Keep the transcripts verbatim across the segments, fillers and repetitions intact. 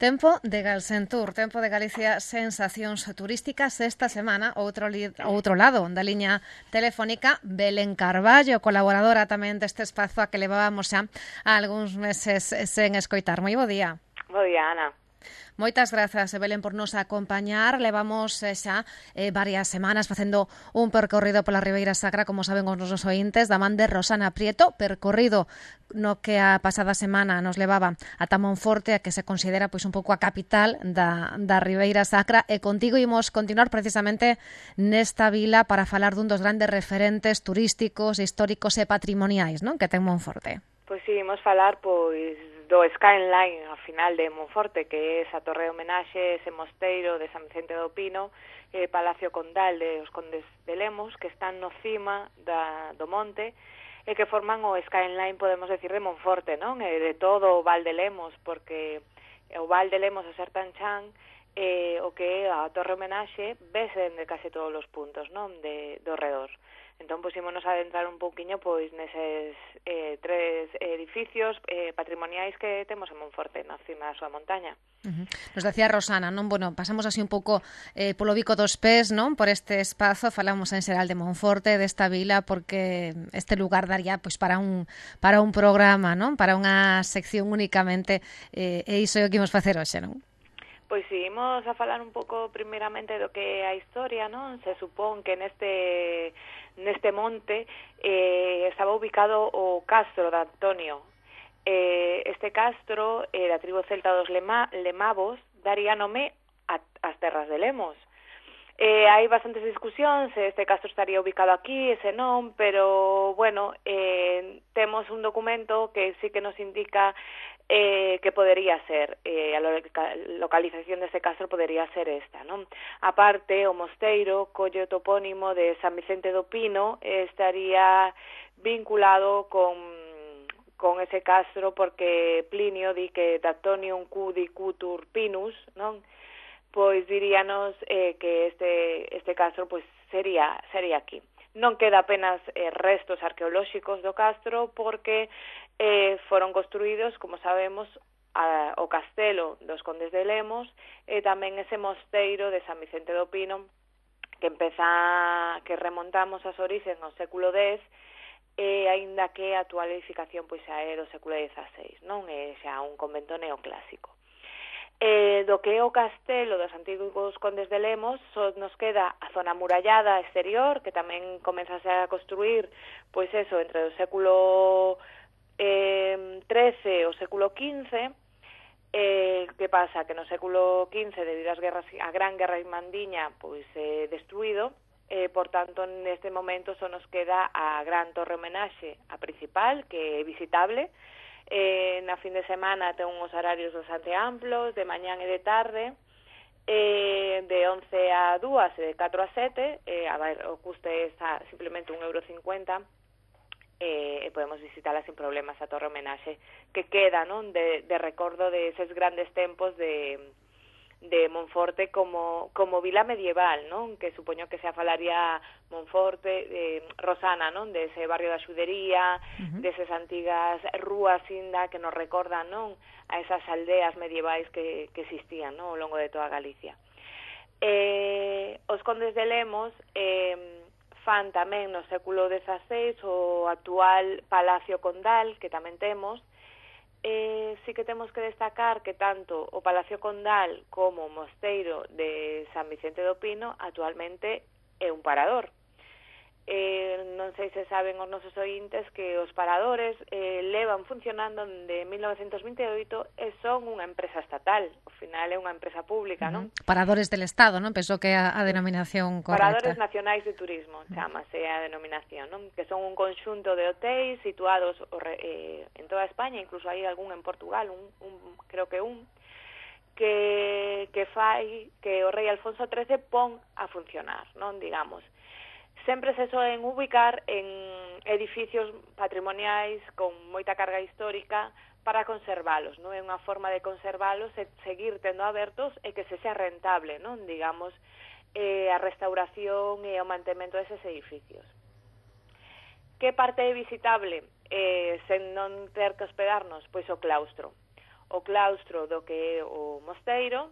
Tempo de Galsentur, Tempo de Galicia, sensacións turísticas. Esta semana, outro, li, outro lado da liña telefónica, Belén Carballo, colaboradora tamén deste espazo a que levábamos xa algúns meses sen escoitar. Moi bo día. Bo día, Ana. Moitas grazas, Belén, por nos acompañar. Levamos xa eh, varias semanas facendo un percorrido pola Ribeira Sacra, como saben os nosos ointes, da man de Rosana Prieto, percorrido no que a pasada semana nos levaba ata Monforte, a que se considera pois un pouco a capital da, da Ribeira Sacra, e contigo imos continuar precisamente nesta vila para falar dun dos grandes referentes turísticos, históricos e patrimoniais, non, que ten Monforte. Pois si, imos falar pois do skyline ao final de Monforte, que é esa torre de homenaxe, ese mosteiro de San Vicente do Pino, e Palacio Condal de os Condes de Lemos, que están no cima da, do monte, e que forman o skyline, podemos decir, de Monforte, non? E de todo o Val de Lemos, porque o Val de Lemos, o ser tan chan, eh, o que é a torre homenaxe, vese de case todos os puntos, non? De, do redor. Entón, pois, ímonos a adentrar un pouquiño pois neses eh, tres edificios eh, patrimoniais que temos en Monforte, na cima da súa montaña. Uh-huh. Nos decía Rosana, non? Bueno, pasamos así un pouco eh, polo bico dos pés, non? Por este espazo, falamos en xeral de Monforte, desta vila, porque este lugar daría pois para un para un programa, non? Para unha sección únicamente, eh, e iso é o que imos facer hoxe, non? Pois si, imos a falar un pouco primeiramente do que é a historia, non? Se supón que neste neste monte eh, estaba ubicado o castro de Antonio. Eh, este castro, eh, da tribo celta dos Lema, Lemavos, daría nome a, ás terras de Lemos. Eh, hai bastantes discusións, este castro estaría ubicado aquí, ese non, pero, bueno, eh, temos un documento que sí que nos indica eh, que podería ser, eh, a localización deste castro podería ser esta, non? Aparte, o mosteiro, colle o topónimo de San Vicente do Pino, eh, estaría vinculado con con ese castro porque Plinio di que Datonium cudi cutur pinus, non? Pois diríanos eh, que este este castro pois sería sería aquí. Non queda apenas eh, restos arqueolóxicos do castro porque eh, foron construídos, como sabemos, a, o castelo dos Condes de Lemos e tamén ese mosteiro de San Vicente do Pino que empeza que remontamos as orixes no século dez e aínda que a actual edificación pois xa é do século dieciséis, non é xa un convento neoclásico. Eh, do que é o castelo dos antigos Condes de Lemos só nos queda a zona amurallada exterior, que tamén comenzase a construir pois eso, entre o século eh, trece e o século quince. Eh, que pasa? Que no século quince, debido ás guerras, a gran guerra irmandiña, pois é eh, destruído. Eh, por tanto, neste momento só nos queda a gran torre homenaxe, a principal, que é visitable. Eh, na fin de semana ten uns horarios bastante amplos, de mañán e de tarde, eh, de once a dúas e de catro a sete, eh, a ver, o custe está simplemente un euro cincuenta, eh, e podemos visitala sin problemas a torre homenaxe, que queda, non, de, de recordo de eses grandes tempos de de Monforte como como vila medieval, non? Que supoño que se falaría Monforte, eh, Rosana, non? De ese barrio da Xudería, uh-huh. Desas antigas rúas inda que nos recordan, non? A esas aldeas medievais que, que existían, non? Ao longo de toda Galicia. Eh, os Condes de Lemos eh, fan tamén no século dieciséis o actual Palacio Condal, que tamén temos. Eh, sí que temos que destacar que tanto o Palacio Condal como o mosteiro de San Vicente do Pino actualmente é un parador. Eh, non sei se saben os nosos ointes que os paradores eh, levan funcionando de mil novecentos vinte e oito e son unha empresa estatal. Ao final é unha empresa pública, non? Uh-huh. Paradores del Estado, non? Penso que é a, a denominación correcta. Paradores Nacionais de Turismo, chamase a denominación, non? Que son un conxunto de hotéis situados eh, en toda España, incluso hai algún en Portugal, un, un creo que un, que, que fai que o rei Alfonso trece pon a funcionar, non? Digamos. Sempre se soen ubicar en edificios patrimoniais con moita carga histórica para conservalos, non? É unha forma de conservalos e seguir tendo abertos e que se sea rentable, non? Digamos, eh, a restauración e o mantemento deses edificios. Que parte é visitable eh, sen non ter que hospedarnos? Pois o claustro. o claustro do que é o mosteiro,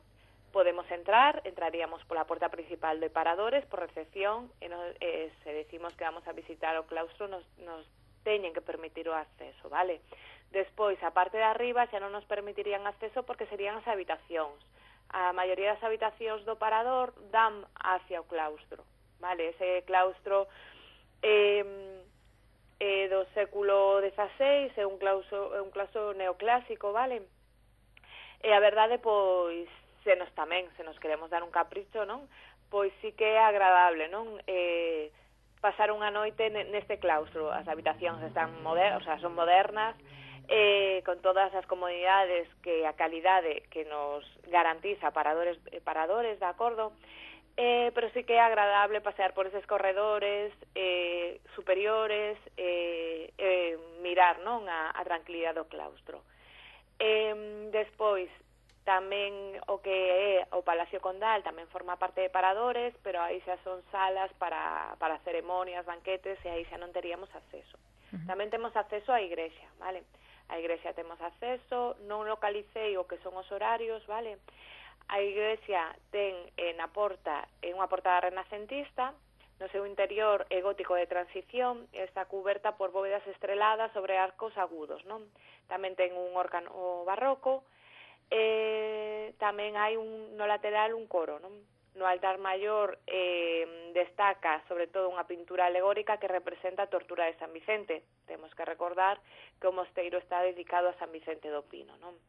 podemos entrar, entraríamos pola porta principal de paradores, por recepción, e, nos, e se decimos que vamos a visitar o claustro, nos, nos teñen que permitir o acceso, vale? Despois, a parte de arriba xa non nos permitirían acceso porque serían as habitacións. A maioría das habitacións do parador dan hacia o claustro, vale? Ese claustro eh, eh, do século dezaseis é un claustro, é un claustro neoclásico, vale? E a verdade, pois, se nos tamén, se nos queremos dar un capricho, non? Pois sí que é agradable, non? Eh, pasar unha noite neste claustro. As habitacións están modernas, o sea, son modernas, eh, con todas as comodidades que a calidade que nos garantiza paradores, paradores, de acordo? Eh, pero sí que é agradable pasear por eses corredores eh, superiores, eh, eh, mirar, non? A, a tranquilidade do claustro. Eh, despois, tamén o que é o Palacio Condal tamén forma parte de paradores, pero aí xa son salas para, para ceremonias, banquetes, e aí xa non teríamos acceso. Uh-huh. Tamén temos acceso á igrexa, vale? A igrexa temos acceso, non localicei o que son os horarios, vale? A igrexa ten eh, na porta, é unha porta renacentista, no seu interior é gótico de transición, e está cuberta por bóvedas estreladas sobre arcos agudos, non? Tamén ten un órgano barroco, Eh, tamén hai un, no lateral un coro, non? No altar maior eh, destaca sobre todo unha pintura alegórica que representa a tortura de San Vicente. Temos que recordar que o mosteiro está dedicado a San Vicente do Pino, non?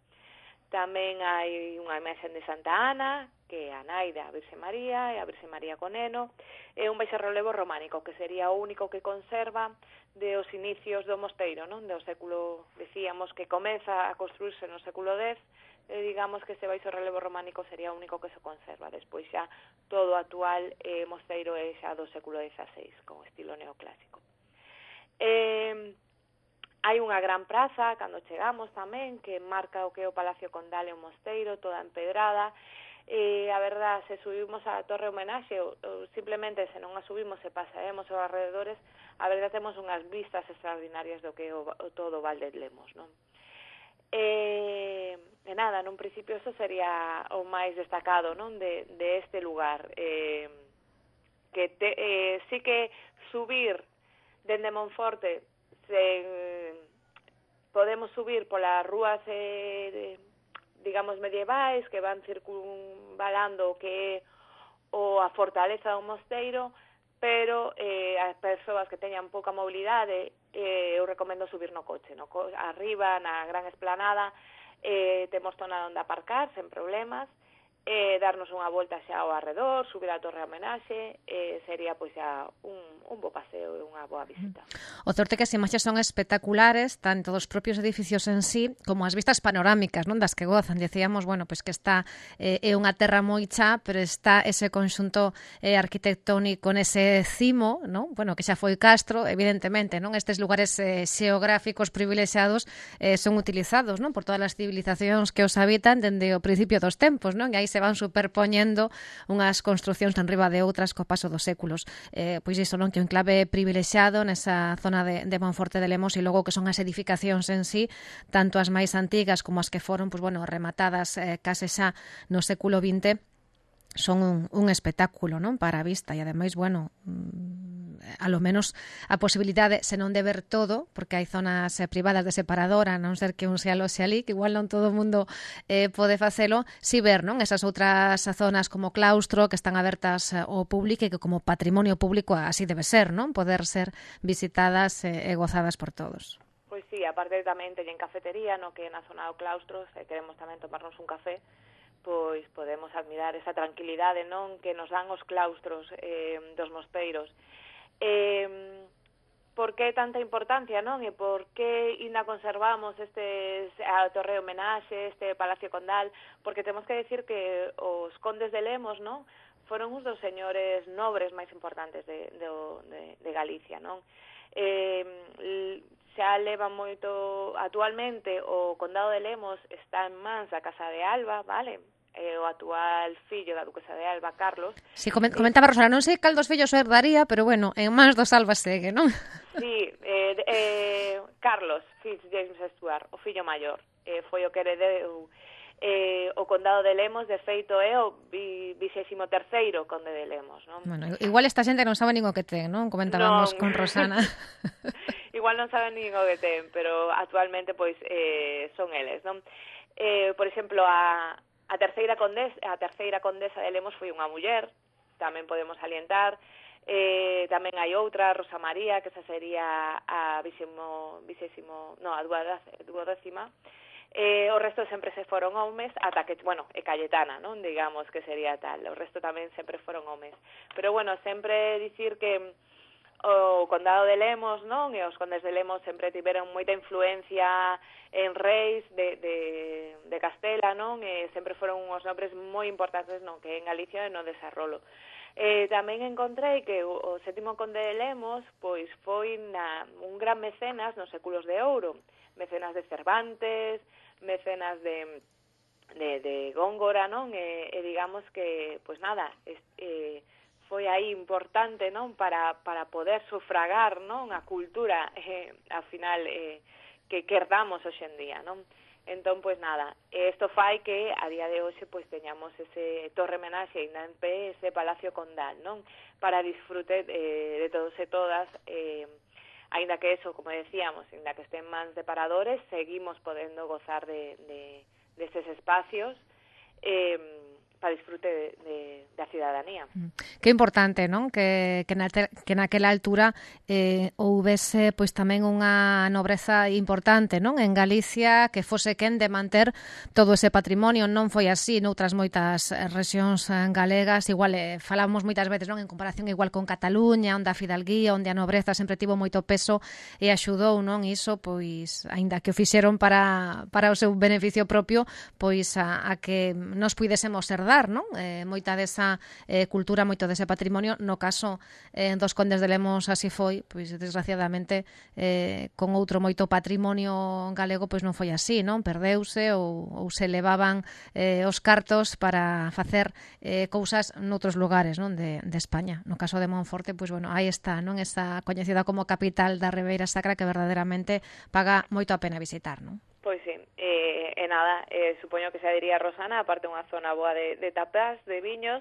Tamén hai unha imaxe de Santa Ana, que é a nai da Virxe María, e a Virxe María con neno, e un baixarrelevo románico, que sería o único que conserva de os inicios do mosteiro, non? Do século, decíamos que comeza a construirse no século dez, e digamos que ese baixo relevo románico sería o único que se conserva. Despois xa todo o actual eh, mosteiro é xa do século dezaseis, con estilo neoclásico. Eh, hai unha gran praza, cando chegamos tamén, que marca o que é o Palacio Condal e o mosteiro, toda empedrada. Eh, a verdad, se subimos a Torre Homenaxe, ou, ou simplemente se non a subimos e pasaemos aos alrededores, a verdad temos unhas vistas extraordinarias do que é o, o todo o Val de Lemos, non? Eh, e nada, nun principio eso sería o máis destacado, non, de, de este lugar, eh, que te, eh, sí que subir dende Monforte se, eh, podemos subir polas rúas eh, de, digamos medievais que van circunvalando o que é o a fortaleza do mosteiro, pero eh, as persoas que teñan pouca mobilidade, eh, eu recomendo subir no coche, no co arriba, na gran esplanada, eh, temos zona onde aparcar, sen problemas, eh, darnos unha volta xa ao arredor, subir a Torre Homenaxe, eh, sería pois xa un, un bo paseo e unha boa visita. O certo é que as imaxes son espectaculares, tanto dos propios edificios en sí, como as vistas panorámicas, non, das que gozan. Decíamos, bueno, pois que está eh, é unha terra moi chá, pero está ese conxunto eh, arquitectónico nese cimo, non? Bueno, que xa foi Castro, evidentemente, non? Estes lugares eh, xeográficos privilexiados eh, son utilizados, non, por todas as civilizacións que os habitan dende o principio dos tempos, non? E aí se van superpoñendo unhas construcións tan riba de outras co paso dos séculos. Eh, pois iso, non, que un enclave privilexiado nesa zona de, de Monforte de Lemos, e logo que son as edificacións en sí, tanto as máis antigas como as que foron, pois, bueno, rematadas eh, case xa no século vinte, son un, un espectáculo, non, para a vista, e ademais, bueno, a lo menos a posibilidade, se non de ver todo, porque hai zonas eh, privadas de separadora, a non ser que un se aloxe ali, que igual non todo o mundo eh, pode facelo, si ver, non, esas outras zonas como claustro que están abertas ao público e que como patrimonio público así debe ser, non, poder ser visitadas eh, e gozadas por todos. Pois sí, aparte tamén teñen cafetería, no, que na zona do claustro, se queremos tamén tomarnos un café, pois podemos admirar esa tranquilidade, non, que nos dan os claustros eh, dos mosteiros. Eh, por que tanta importancia, non? E por que ainda conservamos este a Torre Homenaxe, este Palacio Condal? Porque temos que decir que os condes de Lemos, non, foron uns dos señores nobres máis importantes de, de, de, de Galicia, non? Eh, xa leva moito, actualmente o condado de Lemos está en mans da Casa de Alba, vale? Eh, o actual fillo da duquesa de Alba, Carlos. Si, sí, comentaba Rosana, non sei cal dos fillos herdaría, pero bueno, en mans dos Alba segue, non? Sí, eh, eh, Carlos Fitzjames Stuart, o fillo maior. eh, foi o que heredeu eh, o condado de Lemos, de feito é o vixésimo terceiro conde de Lemos, non? Bueno, igual esta xente non sabe nin o que ten, non? Comentábamos non. con Rosana. Igual non saben nin o que ten, pero actualmente pois eh, son eles, non? Eh, por exemplo, a, a terceira condesa, a terceira condesa de Lemos foi unha muller, tamén podemos salientar. Eh, tamén hai outra, Rosa María, que esa sería a vixésimo, vixésimo, no, a duodécima. Eh, o resto sempre se foron homes, ata que, bueno, e Cayetana, non? Digamos que sería tal. O resto tamén sempre foron homes. Pero, bueno, sempre dicir que o condado de Lemos, non? E os condes de Lemos sempre tiveron moita influencia en reis de, de, de Castela, non? E sempre foron uns nombres moi importantes, non? Que en Galicia e no desarrollo. Eh, tamén encontrei que o, o sétimo conde de Lemos pois foi na, un gran mecenas nos séculos de ouro, mecenas de Cervantes, mecenas de, de, de Góngora, non? E, e digamos que, pois nada, es, eh, foi aí importante, non? Para, para poder sufragar, non? A cultura, eh, ao final, eh, que, que herdamos hoxe en día, non? Entón, pois nada, isto fai que a día de hoxe pois teñamos ese torre homenaxe ainda en pé, ese palacio condal, non? Para disfrute eh, de todos e todas, eh, ainda que eso, como decíamos, ainda que estén mans de paradores, seguimos podendo gozar de, de, de estes espacios eh, para disfrute de, de, da ciudadanía. Que importante, non? Que, que, na, que naquela altura eh, houvese pois tamén unha nobreza importante, non? En Galicia, que fose quen de manter todo ese patrimonio. Non foi así noutras moitas rexións galegas. Igual eh, falamos moitas veces, non? En comparación igual con Cataluña, onde a fidalguía, onde a nobreza sempre tivo moito peso e axudou, non? Iso, pois, aínda que o fixeron para, para o seu beneficio propio, pois a, a que nos puidésemos herdar, non? Eh, moita desa eh, cultura, moito dese patrimonio. No caso eh, dos condes de Lemos así foi, pois desgraciadamente eh, con outro moito patrimonio galego pois non foi así, non? Perdeuse ou, ou se levaban eh, os cartos para facer eh, cousas noutros lugares, non? De, de España. No caso de Monforte, pois bueno, aí está, non? Esa coñecida como capital da Ribeira Sacra que verdadeiramente paga moito a pena visitar, non? Pois sí, eh, e nada, eh, supoño que se diría Rosana, aparte unha zona boa de, de tapas, de viños,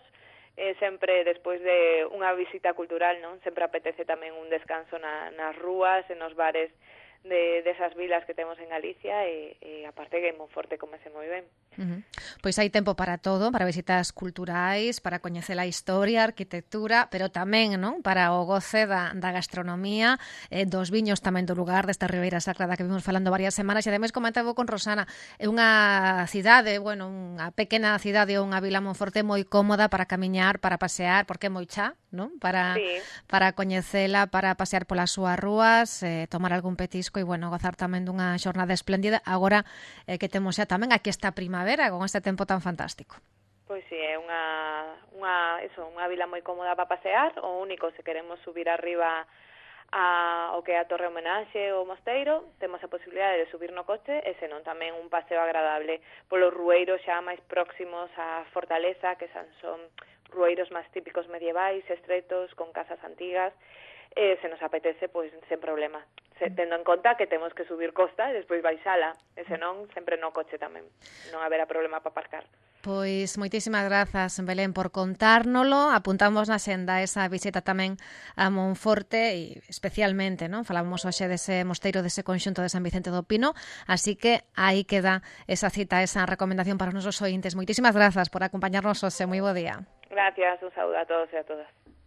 eh, sempre despois de unha visita cultural, non? Sempre apetece tamén un descanso na, nas rúas, en os bares de desas vilas que temos en Galicia e, e aparte que en Monforte comese moi ben. Uh-huh. Pois hai tempo para todo, para visitas culturais, para coñecer a historia, a arquitectura, pero tamén, non? Para o goce da, da gastronomía, eh, dos viños tamén do lugar desta Ribeira Sacra da que vimos falando varias semanas e ademais comentaba con Rosana, é unha cidade, bueno, unha pequena cidade ou unha vila Monforte moi cómoda para camiñar, para pasear, porque é moi chá, non? Para, sí. para coñecela, para pasear polas súas rúas, eh, tomar algún petisco e, bueno, gozar tamén dunha xornada espléndida agora eh, que temos xa tamén aquí esta primavera con este tempo tan fantástico. Pois si, sí, é unha, unha, eso, unha vila moi cómoda para pasear, o único se queremos subir arriba a o que é a Torre Homenaxe ou Mosteiro, temos a posibilidade de subir no coche e senón tamén un paseo agradable polos rueiros xa máis próximos á fortaleza, que son, son rueiros máis típicos medievais, estretos, con casas antigas, e se nos apetece, pois, sen problema. Se, tendo en conta que temos que subir costa e despois baixala, e senón sempre no coche tamén. Non haberá problema para aparcar. Pois moitísimas grazas, Belén, por contárnolo. Apuntamos na xenda esa visita tamén a Monforte e especialmente, non? Falábamos hoxe dese mosteiro, dese conxunto de San Vicente do Pino, así que aí queda esa cita, esa recomendación para os nosos ointes. Moitísimas grazas por acompañarnos hoxe. Moi bo día. Gracias, un saúdo a todos e a todas.